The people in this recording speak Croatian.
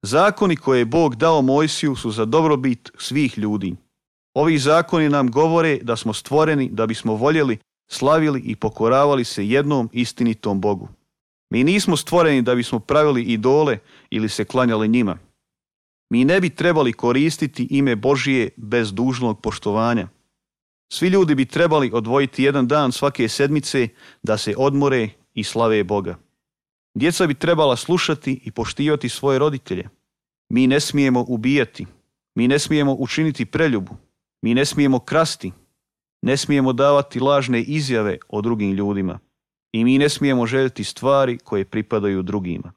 Zakoni koje je Bog dao Mojsiju su za dobrobit svih ljudi. Ovi zakoni nam govore da smo stvoreni da bismo voljeli, slavili i pokoravali se jednom istinitom Bogu. Mi nismo stvoreni da bismo pravili idole ili se klanjali njima. Mi ne bi trebali koristiti ime Božije bez dužnog poštovanja. Svi ljudi bi trebali odvojiti jedan dan svake sedmice da se odmore i slave Boga. Djeca bi trebala slušati i poštivati svoje roditelje. Mi ne smijemo ubijati. Mi ne smijemo učiniti preljubu. Mi ne smijemo krasti. Ne smijemo davati lažne izjave o drugim ljudima. I mi ne smijemo željeti stvari koje pripadaju drugima.